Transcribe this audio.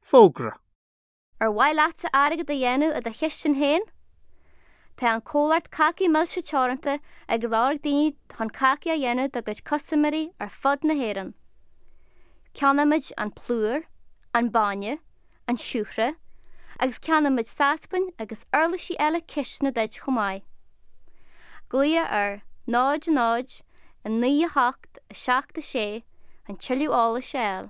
Fógra. Ar mhaith leatsa airgead a dhéanamh i do chistin féin? Tá an comhlacht Cácaí Milse Teoranta ag lorg daoine chun cácaí a dhéanamh dá gcuid custaiméirí ar fud na hÉireann. Ceannaímid an plúr, an bainne, an siúcra agus ceannaímid sáspain agus uirlisí eile cistine duit chomh maith. Glaoigh ar 0 0 9 8 7 6 chun tuilleadh eolais a fháil.